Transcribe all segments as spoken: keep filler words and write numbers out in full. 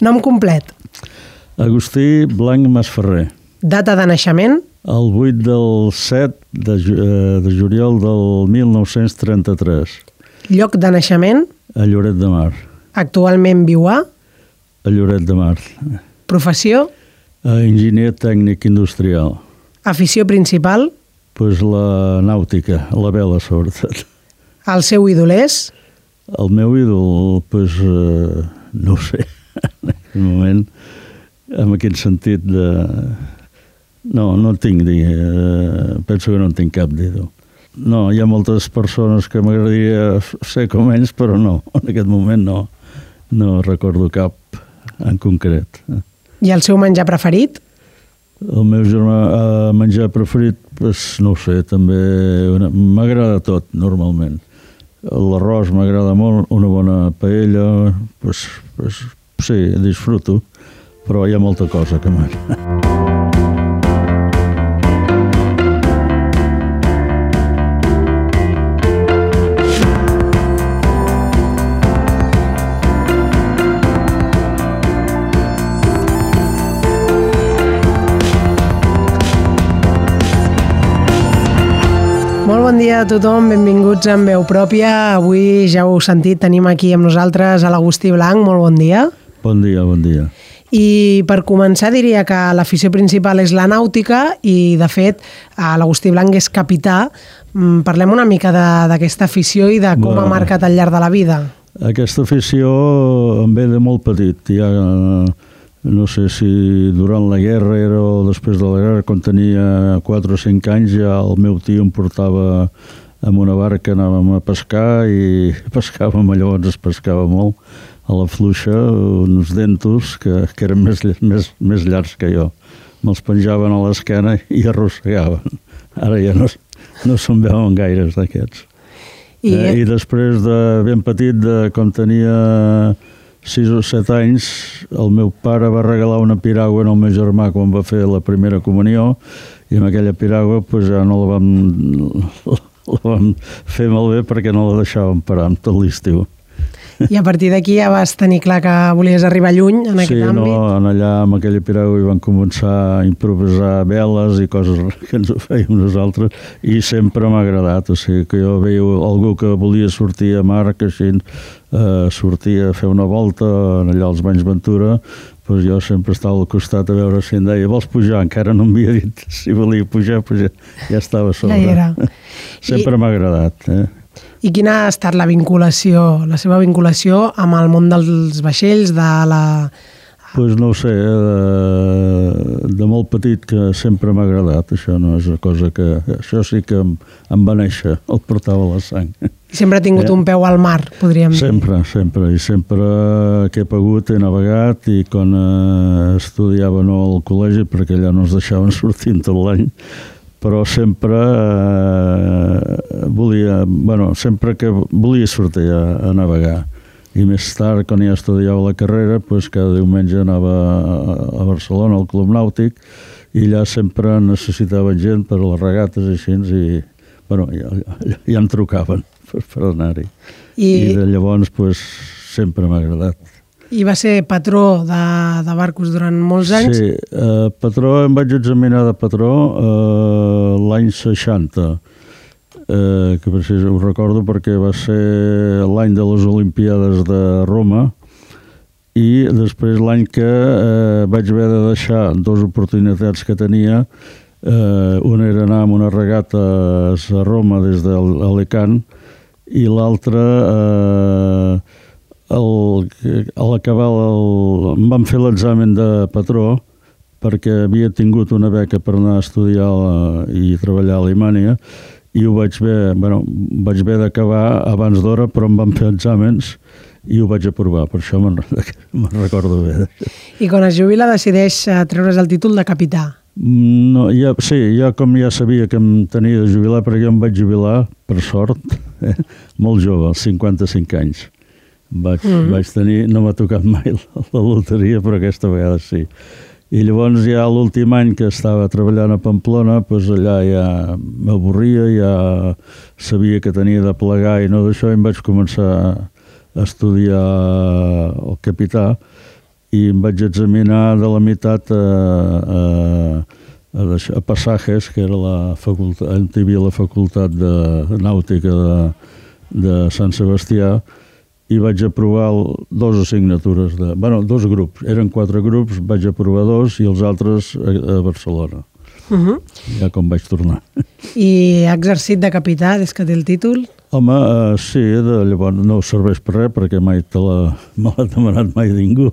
Nom complet. Agustí Blanc Masferrer. Data de naixement? El vuit del set de, de juliol del mil nou-cents trenta-tres. Lloc de naixement? A Lloret de Mar. Actualment viu a? A Lloret de Mar. Professió? Enginyer tècnic industrial. Afició principal? Pues la nàutica, la vela sobretot. El seu ídol és? El meu ídol, pues, eh, no ho sé, en aquest moment, en aquest sentit de... No, no en tinc, eh, penso que no en tinc cap d'ídol. No, hi ha moltes persones que m'agradaria ser com ells, però no, en aquest moment no, no recordo cap en concret. I el seu menjar preferit? El meu germà eh, menjar preferit, pues, no ho sé, també m'agrada tot, normalment. L'arròs m'agrada molt, una bona paella, pues, pues, sí, disfruto, però hi ha molta cosa que m'agrada. Molt bon dia a tothom, benvinguts en veu pròpia. Avui, ja ho heu sentit, tenim aquí amb nosaltres a l'Agustí Blanc. Molt bon dia. Bon dia, bon dia. I per començar diria que l'afició principal és la nàutica i, de fet, l'Agustí Blanc és capità. Parlem una mica d'aquesta afició i de com Va. ha marcat al llarg de la vida. Aquesta afició em ve de molt petit. Ja, no sé si durant la guerra era o després de la guerra, quan tenia quatre o cinc anys, ja el meu tio em portava amb una barca, anàvem a pescar i pescàvem allò, ens pescava molt a la fluixa, uns dentos que, que eren més, més, més llargs que jo. Me'ls penjaven a l'esquena i arrossegaven. Ara ja no, no se'n veuen gaires d'aquests. I... Eh, I després de ben petit, de, quan tenia sis o set anys, el meu pare va regalar una piragua al meu germà quan va fer la primera comunió i amb aquella piragua pues, ja no la vam, la vam fer malbé perquè no la deixàvem parar amb tot l'estiu. I a partir d'aquí ja vas tenir clar que volies arribar lluny en aquest sí, àmbit? Sí, no, en allà amb aquella piragua hi vam començar a improvisar veles i coses que ens ho fèiem nosaltres i sempre m'ha agradat, o sigui que jo veia algú que volia sortir a mar, que així eh, sortia a fer una volta allà als Banys Ventura, doncs jo sempre estava al costat a veure si em deia vols pujar? Encara no m'havia dit si volia pujar, doncs ja, ja estava a sobre. Ja era. Sempre I... m'ha agradat, eh? I quina ha estat la vinculació, la seva vinculació amb el món dels vaixells, de la... Doncs pues no ho sé, de, de molt petit que sempre m'ha agradat, això no és una cosa que... Això sí que em, em va néixer, el portava a la sang. I sempre ha tingut eh? un peu al mar, podríem dir. Sempre, sempre, i sempre que he pogut he navegat i quan eh, estudiava no al col·legi, perquè allà no ens deixaven sortir tot l'any, però sempre eh, volia, bueno, sempre que volia sortir a, a navegar. I més tard, quan ja estudiava la carrera, pues, cada diumenge anava a, a Barcelona, al Club Nàutic, i allà sempre necessitaven gent per a les regates i així, i bueno, ja, ja, ja em trucaven per, per anar-hi. I... I de llavors pues, sempre m'ha agradat. I va ser patró de, de barcos durant molts anys? Sí, eh, patró, em vaig examinar de patró eh, l'any seixanta, eh, que precis, ho recordo perquè va ser l'any de les Olimpíades de Roma i després l'any que eh, vaig haver de deixar dues oportunitats que tenia. Eh, una era anar amb una regata a Roma des d'Alicant i l'altra... Eh, El, a l'acabar el, em van fer l'examen de patró perquè havia tingut una beca per anar a estudiar la, i treballar a Alemanya i ho vaig haver, bueno, vaig haver d'acabar abans d'hora, però em van fer exàmens i ho vaig aprovar, per això me'n me'n recordo bé. I quan es jubila decideix treure's el títol de capità? No, ja, sí, ja com ja sabia que em tenia de jubilar, perquè jo em vaig jubilar, per sort, eh, molt jove, als cinquanta-cinc anys. Vaig, mm. vaig tenir, no m'ha tocat mai la, la loteria, però aquesta vegada sí. I llavors ja l'últim any que estava treballant a Pamplona, doncs allà ja m'avorria, ja sabia que tenia de plegar i no d'això, i em vaig començar a estudiar el capità i em vaig examinar de la meitat a, a, a, a Passajes, que era la facultat, on hi havia la facultat de nàutica de, de Sant Sebastià, i vaig aprovar el, dos assignatures, de, bueno, dos grups, eren quatre grups, vaig aprovar dos i els altres a, a Barcelona. Uh -huh. Ja com vaig tornar. I ha exercit de capità des que té el títol? Home, uh, sí, de, llavors no serveix per res perquè mai te la, me l'ha demanat mai ningú,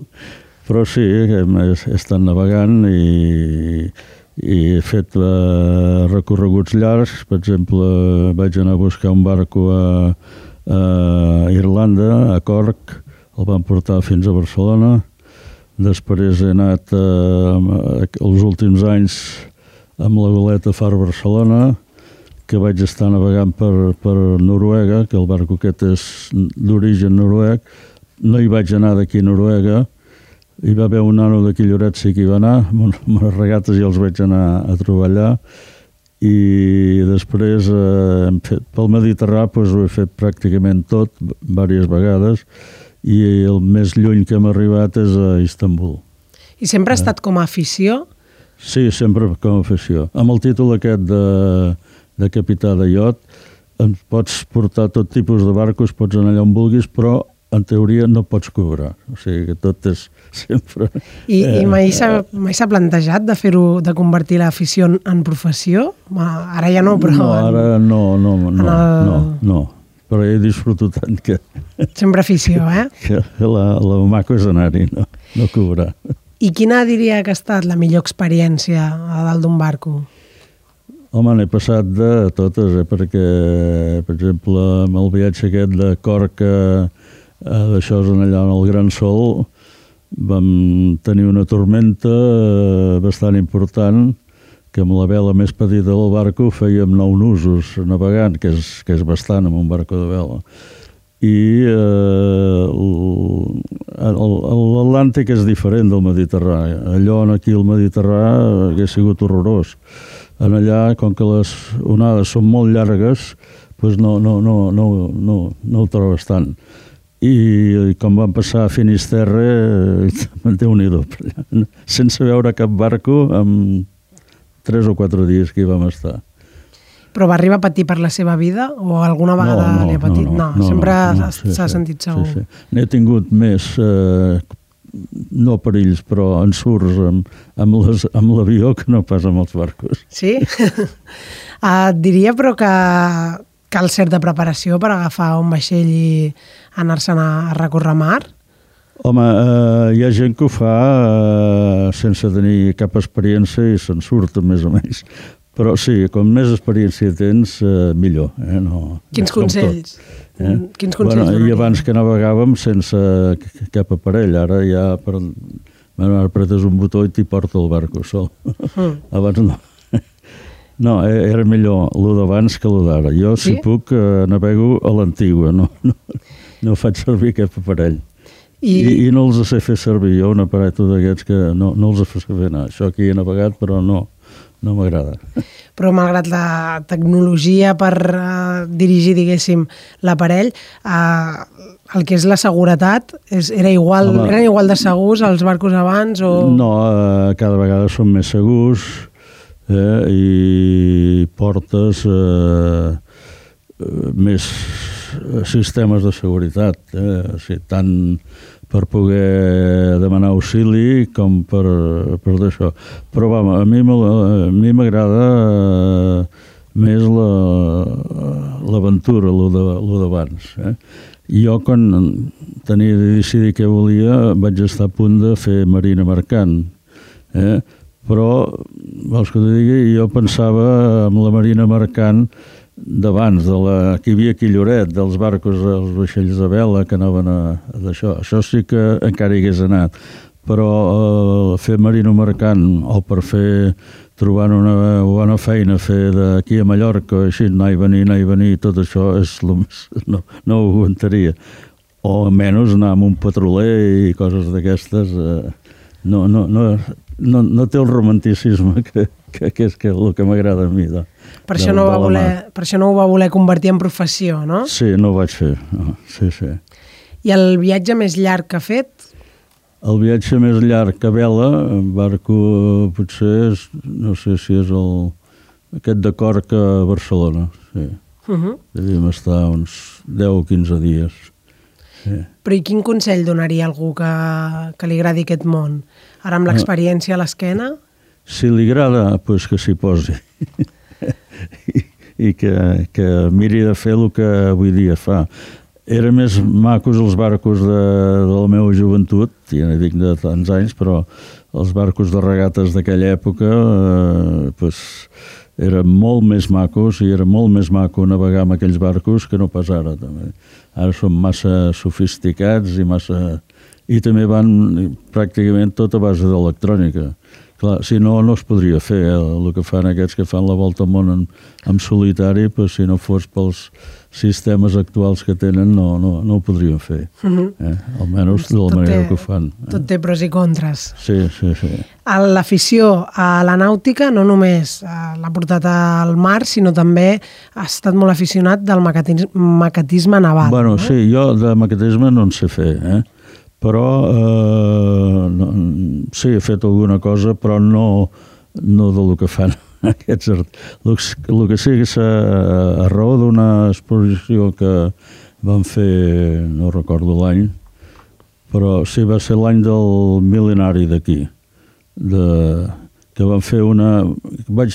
però sí, he, he estat navegant i, i he fet uh, recorreguts llargs. Per exemple, vaig anar a buscar un barco a, a Irlanda, a Cork, el van portar fins a Barcelona. Després he anat uh, els últims anys amb la goleta Far Barcelona, que vaig estar navegant per, per Noruega, que el barco aquest és d'origen noruec. No hi vaig anar d'aquí a Noruega. Hi va haver un nano d'aquí Lloret, sí que hi va anar, amb unes regates i els vaig anar a trobar allà. I després, eh, hem fet, pel Mediterrani, doncs, ho he fet pràcticament tot, diverses vegades, i el més lluny que hem arribat és a Istanbul. I sempre ha estat com a afició? Sí, sempre com a afició. Amb el títol aquest de, de capità de iot, pots portar tot tipus de barcos, pots anar allà on vulguis, però en teoria no pots cobrar. O sigui que tot és sempre... I, eh, i mai s'ha mai s'ha plantejat de fer-ho, de convertir l'afició en, en professió? Ara ja no, però... No, ara no, no, no, no, el... no, no. Però he disfrutat tant que... Sempre afició, eh? Que la, la maco és anar-hi, no, no cobrar. I quina diria que ha estat la millor experiència a dalt d'un barco? Home, n'he passat de totes, eh? Perquè, per exemple, amb el viatge aquest de Cork a, a d'això allà en el Gran Sol, vam tenir una tormenta bastant important, que amb la vela més petita del barco fèiem nou nusos navegant, que és, que és bastant amb un barco de vela. I eh, l'Atlàntic és diferent del Mediterrani. Allò aquí al Mediterrani hauria sigut horrorós. En allà, com que les onades són molt llargues, doncs no, no, no, no, no, no ho trobes tant. I com van passar a Finisterre, Déu-n'hi-do, sense veure cap barco, en tres o quatre dies que hi vam estar. Però va arribar a patir per la seva vida o alguna vegada no, no, li ha patit? No, no, no, no sempre s'ha no, no, sí, sí, sentit segur. Sí, sí. N'he tingut més, eh, no perills, però ensurts amb, amb l'avió que no pas amb els barcos. Sí? uh, diria però que cal certa preparació per agafar un vaixell i anar-se'n a, a recórrer mar? Home, eh, hi ha gent que ho fa eh, sense tenir cap experiència i se'n surten més o menys. Però sí, com més experiència tens, eh, millor. Eh? No, Quins consells? Eh? Quins consells? Bueno, i abans que navegàvem sense cap aparell, ara ja per, bueno, apretes un botó i t'hi porta el barco sol. Mm. Abans no. No, era millor el d'abans que el d'ara. Jo, sí? Si puc, eh, navego a l'antigua, no, no, no faig servir cap aparell. I... I, I no els sé fer servir jo, un aparell d'aquests que no, no els sé fer anar. Això aquí he navegat, però no. No m'agrada. Però malgrat la tecnologia per uh, dirigir, diguéssim, l'aparell, uh, el que és la seguretat, és, era igual, Home, eren igual de segurs els barcos abans? O... No, uh, cada vegada són més segurs eh, i portes uh, més sistemes de seguretat, eh, o sigui, tant per poder demanar auxili com per, per d'això. Però va, a mi m'agrada eh, més l'aventura, la, lo d'abans. Eh? Jo, quan tenia de decidir què volia, vaig estar a punt de fer marina mercant. Eh? Però, vols que t'ho digui, jo pensava en la marina mercant d'abans, de la que hi havia aquí a Lloret, dels barcos, els vaixells de vela que anaven a, a d'això. Això sí que encara hi hagués anat. Però eh, fer marino mercant o per fer, trobant una bona feina, fer d'aquí a Mallorca, així, anar i venir, anar i venir, tot això és lo més, no, no ho aguantaria. O almenys anar amb un petroler i coses d'aquestes. Eh, no, no, no, no, no té el romanticisme que, que, que és que el que m'agrada a mi. De, per, això no va voler, per això no ho va voler convertir en professió, no? Sí, no ho vaig fer. No, sí, sí. I el viatge més llarg que ha fet? el viatge més llarg que vela, en barco potser és, no sé si és el, aquest de Corc a Barcelona, sí. Uh-huh. Devíem estar uns deu o quinze dies. Sí. Però i quin consell donaria a algú que, que li agradi aquest món? Ara amb l'experiència a l'esquena? Si li agrada, doncs que s'hi posi. I, i que, que miri de fer el que avui dia fa. Eren més macos els barcos de, de la meva joventut, ja no dic de tants anys, però els barcos de regates d'aquella època eh, pues, eren molt més macos i era molt més maco navegar amb aquells barcos que no pas ara. També. Ara són massa sofisticats i massa... I també van pràcticament tot a base d'electrònica. Clar, si no, no es podria fer. Eh? El que fan aquests que fan la volta al món en, en solitari, pues, si no fos pels sistemes actuals que tenen, no, no, no ho podrien fer. Uh-huh. eh? Almenys de la manera té, que ho fan. Eh? Tot té pros i contres. Sí, sí, sí. L'afició a la nàutica no només l'ha portat al mar, sinó també ha estat molt aficionat del maquetisme, maquetisme naval. Bueno, no? Sí, jo de maquetisme no en sé fer, eh? Però eh, no, sí, he fet alguna cosa, però no, no del que fan aquests artistes. El que sí és a, a raó d'una exposició que van fer, no recordo l'any, però sí, va ser l'any del mil·lenari d'aquí, de, que van fer una... Vaig,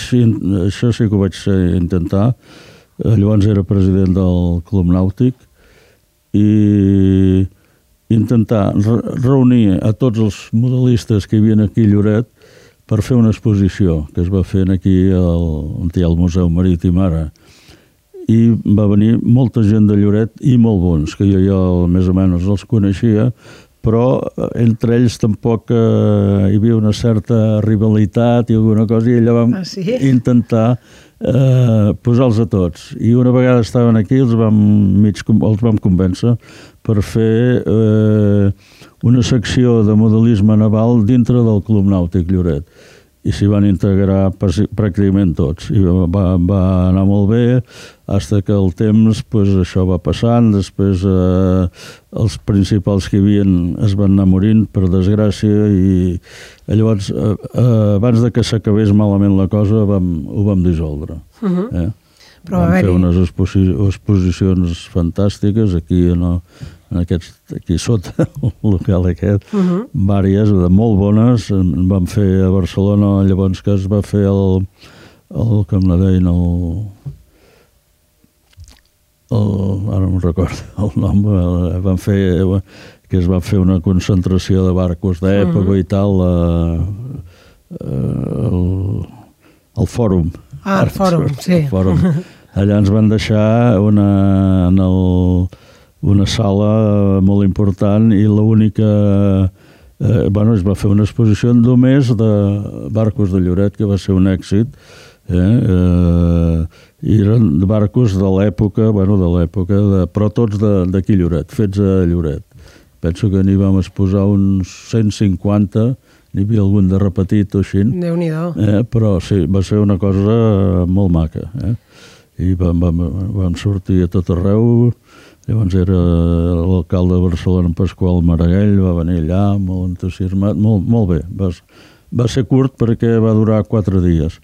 això sí que ho vaig intentar, llavors era president del Club Nàutic, i intentar reunir a tots els modelistes que hi havia aquí a Lloret per fer una exposició que es va fer aquí al, on hi ha el Museu Marítim ara. I va venir molta gent de Lloret i molt bons, que jo ja més o menys els coneixia, però entre ells tampoc eh, hi havia una certa rivalitat i alguna cosa, i allà vam ah, sí? intentar eh, posar-los a tots. I una vegada estaven aquí, els vam, mig, els vam convèncer per fer eh, una secció de modelisme naval dintre del Club Nàutic Lloret. I s'hi van integrar pràcticament tots. I va, va anar molt bé, fins que el temps, pues, això va passant, després eh, els principals que hi havia es van anar morint, per desgràcia, i llavors, eh, abans de que s'acabés malament la cosa, vam, ho vam dissoldre. Uh-huh. eh? Però vam fer unes exposi exposicions fantàstiques aquí, en, en aquest, aquí sota el local aquest, uh-huh. Vàries, de molt bones. En vam fer a Barcelona, llavors que es va fer el, el com la deien, el, el, ara no recordo el nom, el, van fer, que es va fer una concentració de barcos d'època uh-huh. i tal, a, a, el, el fòrum. Ah, el fòrum, sí. El fòrum. Allà ens van deixar una, en el, una sala molt important i l'única... Eh, bueno, es va fer una exposició només de barcos de Lloret, que va ser un èxit. Eh? Eh, I eren barcos de l'època, bueno, de l'època, però tots d'aquí Lloret, fets a Lloret. Penso que n'hi vam exposar uns cent cinquanta, n'hi havia algun de repetit o així. Déu-n'hi-do. Eh, però sí, va ser una cosa molt maca. Eh? I vam, vam, vam sortir a tot arreu. Llavors era l'alcalde de Barcelona, Pasqual Maragall, va venir allà molt entusiasmat, molt, molt bé. Va, va ser curt perquè va durar quatre dies,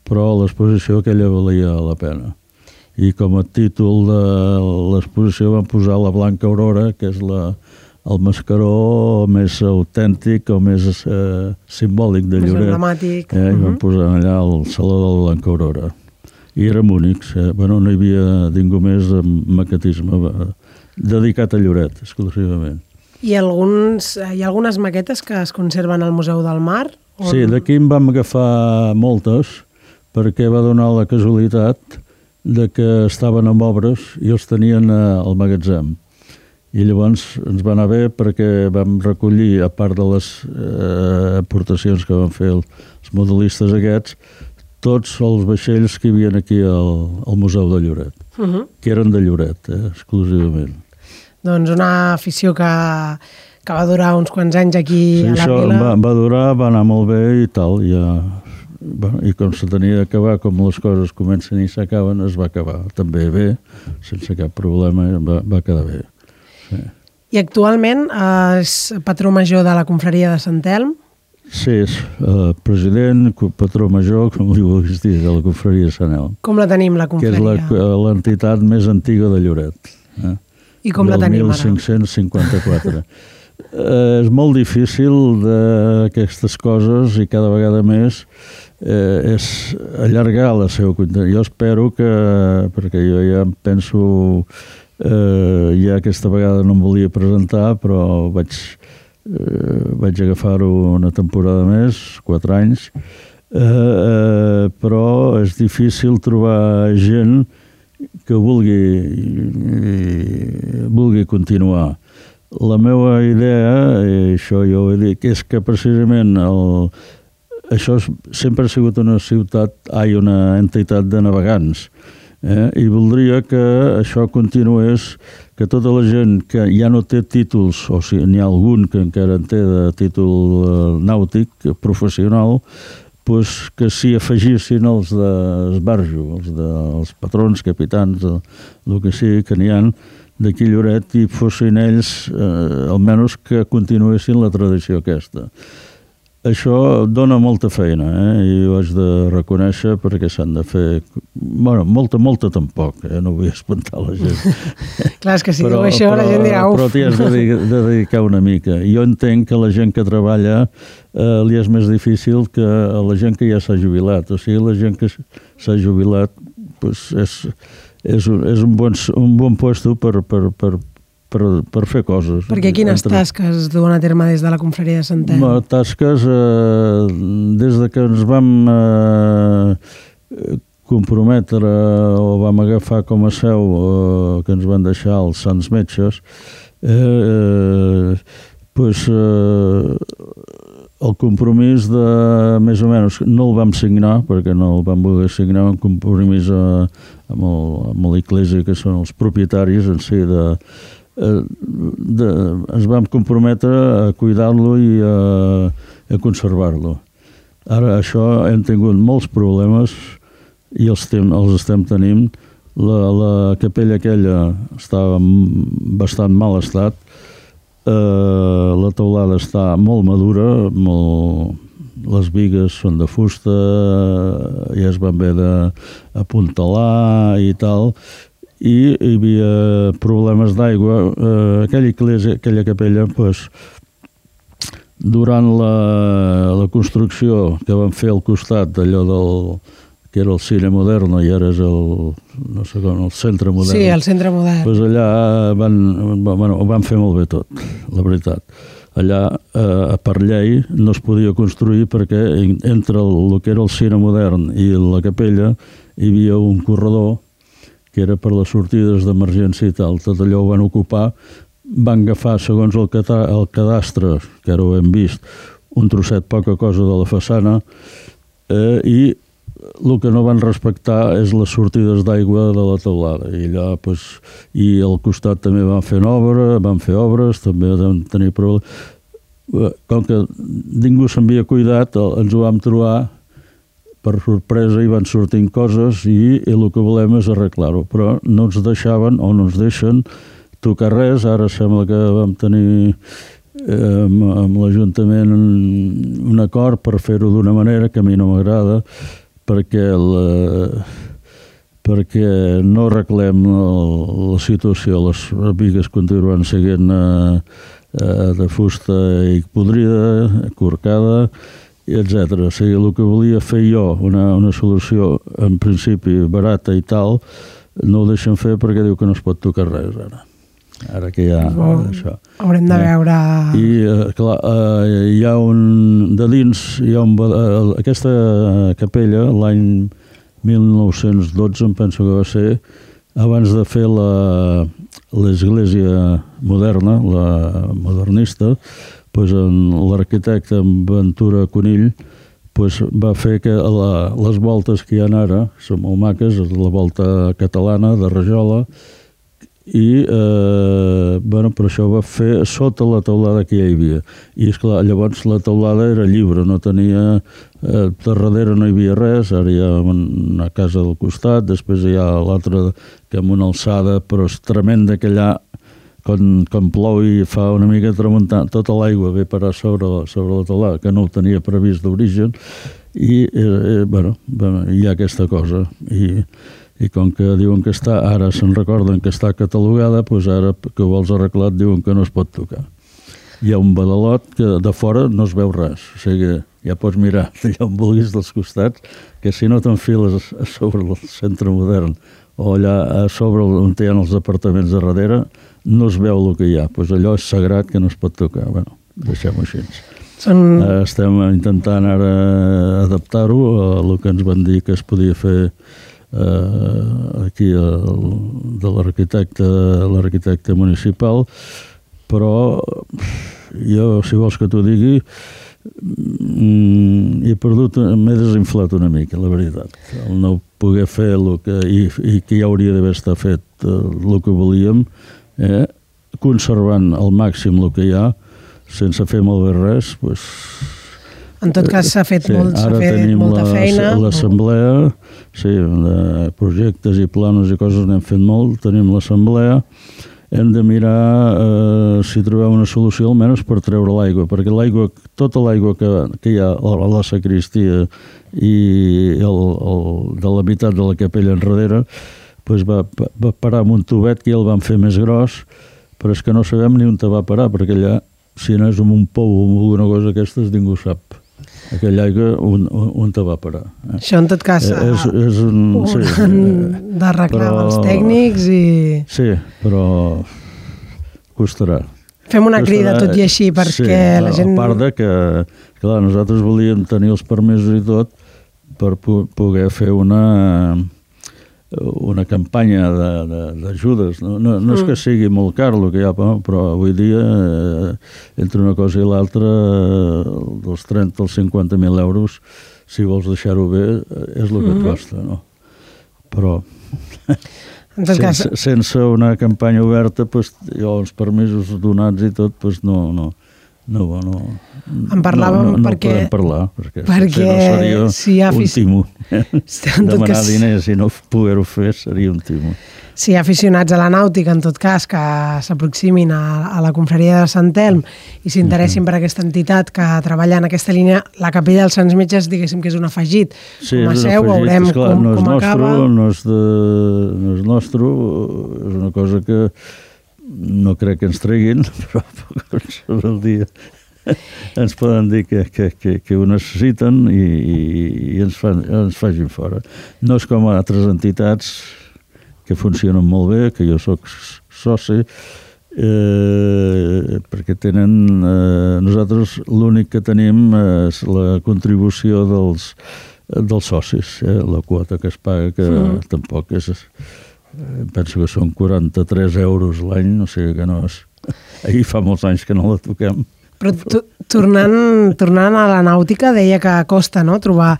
però l'exposició aquella valia la pena. I com a títol de l'exposició van posar la Blanca Aurora, que és la, el mascaró més autèntic o més eh, simbòlic de Lloret. Més emblemàtic. Eh, I van posar allà el Saló de la Blanca Aurora. I érem únics. Eh? Bueno, no hi havia ningú més amb maquetisme eh, dedicat a Lloret, exclusivament. I alguns, hi ha algunes maquetes que es conserven al Museu del Mar? On... Sí, d'aquí en vam agafar moltes, perquè va donar la casualitat de que estaven en obres i els tenien al magatzem. I llavors ens va anar bé perquè vam recollir, a part de les eh, aportacions que van fer els modelistes aquests, tots els vaixells que hi havia aquí al, al Museu de Lloret, uh-huh. que eren de Lloret, eh, exclusivament. Doncs una afició que, que va durar uns quants anys aquí sí, a la vila. Va, va durar, va anar molt bé i tal, ja, bueno, i com se tenia d'acabar, com les coses comencen i s'acaben, es va acabar també bé, sense cap problema, va, va quedar bé. Sí. I actualment és patró major de la confraria de Sant Elm? Sí, és uh, president, patró major, com li vulguis dir, de la confraria de Sant Elm. Com la tenim, la confraria? Que és l'entitat més antiga de Lloret. Eh? I com la tenim ara? Del mil cinc-cents cinquanta-quatre. eh, és molt difícil d'aquestes coses i cada vegada més eh, és allargar la seva continuïtat. Jo espero que, perquè jo ja em penso, eh, ja aquesta vegada no em volia presentar, però vaig... Uh, vaig agafar-ho una temporada més, quatre anys, uh, uh, però és difícil trobar gent que vulgui, vulgui continuar. La meva idea, i això jo ho he dit, és que precisament el, això sempre ha sigut una ciutat, ai, una entitat de navegants, eh? I voldria que això continués, que tota la gent que ja no té títols, o si n'hi ha algun que encara en té de títol eh, nàutic, professional, pues que s'hi afegissin els d'esbarjo, els, de, els patrons, capitans, el, el que sigui, que n'hi ha d'aquí Lloret, i fossin ells, eh, almenys que continuessin la tradició aquesta. Això dona molta feina, eh? I ho haig de reconèixer perquè s'han de fer... Bueno, molta, molta tampoc, eh? No vull espantar la gent. Clar, és que si però, diu això però, la gent dirà uf. Però t'hi has de, de dedicar una mica. Jo entenc que la gent que treballa eh, li és més difícil que a la gent que ja s'ha jubilat. O sigui, la gent que s'ha jubilat pues, és, és, un, és un, bon, un bon puesto per... per, per Per, per fer coses. Perquè quines entre... tasques es duen a terme des de la confraria de Sant Elm? No, tasques, eh, des de que ens vam eh, comprometre o vam agafar com a seu eh, que ens van deixar els Sants Metges, eh, eh, pues, eh, el compromís de, més o menys, no el vam signar, perquè no el vam voler signar, un compromís a, amb, el, amb l'Església, que són els propietaris en si de Eh, de, ens vam comprometre a cuidar-lo i a, a conservar-lo. Ara això hem tingut molts problemes i els, tem, els estem tenint. La, la capella aquella estava en bastant mal estat, eh, la teulada està molt madura, molt, les bigues són de fusta, ja es van haver d'apuntalar i tal, i hi havia problemes d'aigua. Eh, aquella iglesia, aquella capella, pues, durant la, la construcció que van fer al costat d'allò del que era el Cine Moderno i ara és el, no sé com, el Centre Modern. Sí, el Centre Modern. Pues allà van, bueno, ho van fer molt bé tot, la veritat. Allà, eh, per llei, no es podia construir perquè entre el, el que era el Cine Modern i la capella hi havia un corredor que era per les sortides d'emergència i tal. Tot allò ho van ocupar, van agafar, segons el, cata, el cadastre, que ara ho hem vist, un trosset poca cosa de la façana, eh, i el que no van respectar és les sortides d'aigua de la teulada. I allà, pues, i al costat també van fer obra, van fer obres, també van tenir problemes. Com que ningú s'havia cuidat, ens ho vam trobar per sorpresa, i van sortint coses i, i el que volem és arreglar-ho, però no ens deixaven o no ens deixen tocar res. Ara sembla que vam tenir eh, amb, amb l'Ajuntament un, un acord per fer-ho d'una manera que a mi no m'agrada, perquè la, perquè no arreglem la, la situació. Les bigues continuen seguint eh, eh, de fusta i podrida, corcada, etcètera. O sigui, el que volia fer jo, una, una solució en principi barata i tal, no ho deixen fer perquè diu que no es pot tocar res ara. Ara que hi ha oh, això. Haurem de eh? veure... I, eh, clar, eh, hi ha un... De dins, hi ha un... Eh, aquesta capella, l'any mil nou-cents dotze, em penso que va ser, abans de fer la l'església moderna, la modernista, pues, l'arquitecte Ventura Conill pues, va fer que la, les voltes que hi ha ara són molt maques, la volta catalana de rajola, i eh, bueno, per això va fer sota la teulada que ja hi havia. I esclar, llavors la teulada era lliure, no tenia eh, darrere no hi havia res. Ara hi ha una casa del costat, després hi ha l'altra que amb una alçada, però és tremenda, que allà quan, quan plou i fa una mica tramuntant, tota l'aigua ve parar sobre, sobre la teulada, que no ho tenia previst d'origen, i eh, bueno, hi ha aquesta cosa. I, i com que diuen que està, ara se'n recorden que està catalogada, doncs ara que ho vols arreglat diuen que no es pot tocar. Hi ha un badalot que de fora no es veu res, o sigui, ja pots mirar allà on vulguis dels costats, que si no t'enfiles a sobre el centre modern o allà a sobre on hi ha els apartaments de darrere, no es veu el que hi ha. Doncs allò és sagrat que no es pot tocar. Bueno, deixem-ho així. Són... Estem intentant ara adaptar-ho a el que ens van dir que es podia fer eh, aquí el, de l'arquitecte l'arquitecte municipal, però jo, si vols que t'ho digui, he perdut, m'he desinflat una mica, la veritat. El no poder fer el que, i, i que ja hauria d'haver estat fet el que volíem, eh, conservant al màxim el que hi ha, sense fer malbé res, doncs... En tot cas s'ha fet, sí, molt, s'ha fet molta la, feina. L'assemblea, sí, de projectes i planos i coses n'hem fet molt, tenim l'assemblea, hem de mirar eh, si trobem una solució almenys per treure l'aigua, perquè l'aigua, tota l'aigua que, que hi ha a la sacristia i el, el, de la meitat de la capella enrere, doncs va, va parar amb un tubet que ja el van fer més gros, però és que no sabem ni on te va parar, perquè allà, si no és amb un pou o amb alguna cosa d'aquestes, ningú sap aquella aigua on, on te va parar. Eh? Això en tot cas eh, és, és un, ho sí, han d'arreglar els tècnics i... Sí, però costarà. Fem una costarà, crida tot i així perquè sí, la gent... A part de que, clar, nosaltres volíem tenir els permisos i tot per poder fer una... una campanya d'ajudes. No, no, no és que sigui molt car el que hi ha, però avui dia, eh, entre una cosa i l'altra, eh, dels trenta als cinquanta mil euros, si vols deixar-ho bé, és el que et costa, no? Però en tot cas... sense, sense una campanya oberta, pues, jo, els permisos donats i tot, pues, no... no No, no, en parlàvem no, no, no perquè... podem parlar, perquè, perquè no seria si hi ha un timo. Demanar cas... diners i no poder-ho fer seria un timo. Si hi ha aficionats a la nàutica, en tot cas, que s'aproximin a, a la confraria de Sant Elm i s'interessin uh-huh. per aquesta entitat que treballa en aquesta línia, la capella dels Sants Metges, diguéssim que és un afegit. Sí, com a seu, afegit, veurem esclar, com, no és com nostre, acaba. No és, de, no és nostre, és una cosa que no crec que ens treguin, però sobre el dia ens poden dir que, que, que, que ho necessiten i, i, i ens, fan, ens facin fora. No és com altres entitats que funcionen molt bé, que jo sóc soci, eh, perquè tenen... Eh, nosaltres l'únic que tenim és la contribució dels, dels socis, eh, la quota que es paga, que mm. tampoc és... Penso que són quaranta-tres euros l'any, o sigui que no és... Ahir fa molts anys que no la toquem. Però tornant, tornant a la nàutica, deia que costa, no?, trobar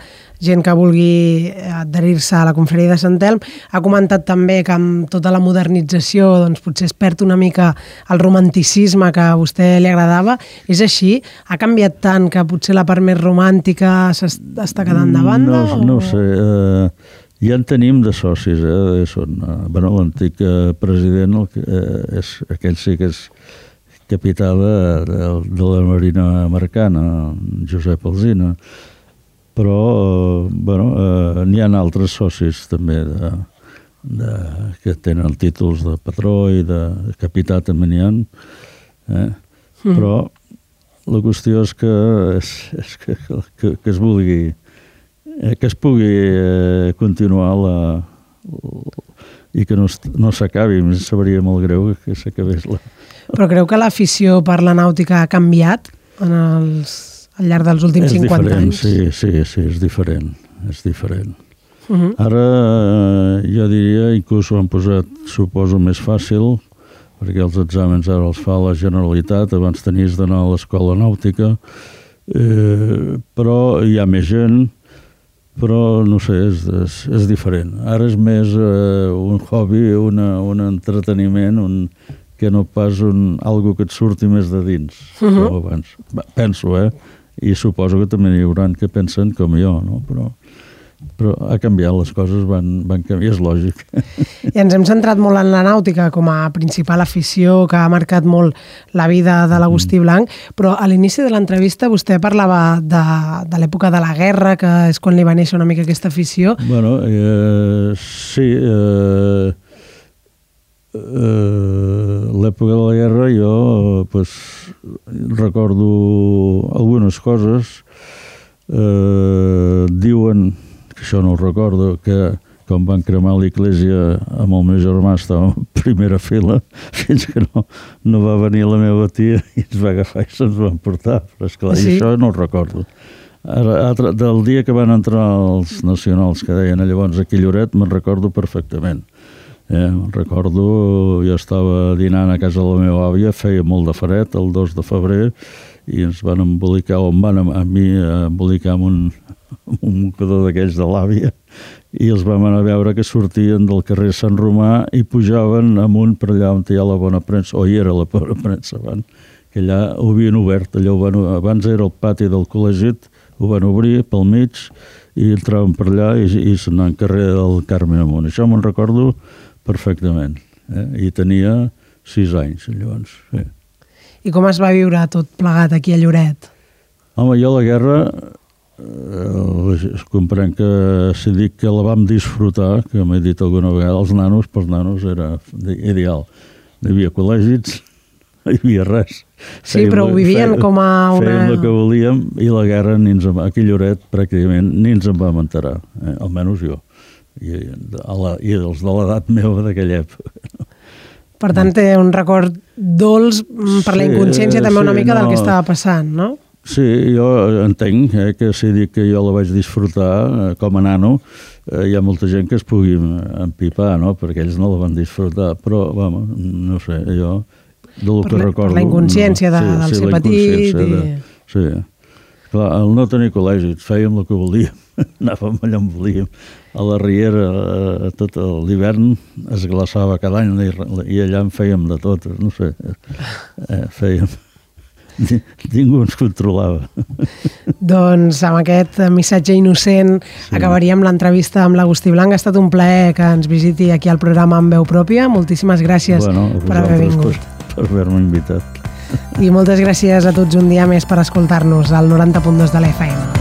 gent que vulgui adherir-se a la confraria de Sant Elm. Ha comentat també que amb tota la modernització doncs, potser es perd una mica el romanticisme que a vostè li agradava. És així? Ha canviat tant que potser la part més romàntica s'està quedant de banda? No, no ho sé. Eh, ja en tenim de socis. Eh? Són, eh, bueno, l'antic eh, president, el que, eh, és, aquell sí que és capità de, de, de la Marina Americana, Josep Alsina. Però, eh, bueno, eh, n'hi ha altres socis també de, de, que tenen títols de patró i de capità també n'hi ha. Eh? Mm. Però la qüestió és que, és, és que, que, que es vulgui, eh, que es pugui eh, continuar la, i que no, no s'acabi. Em sabria molt greu que s'acabés la... Però creu que l'afició per la nàutica ha canviat en els, al llarg dels últims cinquanta anys? Sí, sí, sí, és diferent. És diferent. Uh-huh. Ara, eh, jo diria, inclús ho han posat, suposo, més fàcil, perquè els exàmens ara els fa la Generalitat, abans tenies d'anar a l'escola nàutica, eh, però hi ha més gent, però, no sé, és, és, és diferent. Ara és més eh, un hobby, una, un entreteniment, un... que no pas un, algo que et surti més de dins, uh-huh. com abans. Penso, eh? I suposo que també hi haurà que pensen com jo, no? Però però ha canviat, les coses van, van canviar, és lògic. I ens hem centrat molt en la nàutica com a principal afició que ha marcat molt la vida de l'Agustí Blanc, però a l'inici de l'entrevista vostè parlava de, de l'època de la guerra, que és quan li va néixer una mica aquesta afició. Bueno, eh, sí, eh, eh, l'època de la guerra jo pues, recordo algunes coses. Eh, diuen, que això no ho recordo, que quan van cremar l'església amb el meu germà estava en primera fila fins que no, no va venir la meva tia i ens va agafar i se'ns van portar, però esclar, sí. I això no ho recordo. Ara, del dia que van entrar els nacionals que deien llavors aquí a Lloret me'n recordo perfectament. Eh, me'n recordo, jo estava dinant a casa de la meva àvia, feia molt de fred el dos de febrer i ens van embolicar, o em van a mi embolicar amb un, amb un mocador d'aquells de l'àvia i els vam anar a veure que sortien del carrer Sant Romà i pujaven amunt per allà on hi ha la bona premsa, o hi era la bona premsa abans, que allà ho havien obert, allò ho van, abans era el pati del col·legit, ho van obrir pel mig i entraven per allà i, i s'anaven al carrer del Carme amunt. Això me'n recordo perfectament. Eh? I tenia sis anys, llavors. Sí. I com es va viure tot plegat aquí a Lloret? Home, jo la guerra, eh, comprenc que si dic que la vam disfrutar, que m'he dit alguna vegada, els nanos, pels nanos era ideal. Hi havia col·legis, no hi havia res. Sí, fèiem, però ho vivien fèiem, com a una... Fèiem el que volíem i la guerra, ni ens, aquí a Lloret, pràcticament, ni ens en vam enterar, eh? Almenys jo. I, la, i els de l'edat meva d'aquella època. Per tant, té un record dolç per sí, la inconsciència també una sí, mica no, del que estava passant, no? Sí, jo entenc eh, que si dic que jo la vaig disfrutar eh, com a nano, eh, hi ha molta gent que es pugui empipar, no? Perquè ells no la van disfrutar, però, vamos, no sé, jo del que la, recordo... Per la inconsciència de, no, sí, del sí, ser petit i... De, sí, clar, el no tenir col·legi, fèiem el que volíem, anàvem allà on volíem. A la Riera, eh, tot l'hivern es glaçava cada any i, i allà en fèiem de tot, no sé, eh, fèiem... Ningú ens controlava. Doncs amb aquest missatge innocent sí. Acabaríem l'entrevista amb l'Agustí Blanc. Ha estat un plaer que ens visiti aquí al programa amb veu pròpia. Moltíssimes gràcies bueno, per haver vingut. Per, per haver-me invitat. I moltes gràcies a tots un dia més per escoltar-nos al noranta punt dos de l'F M.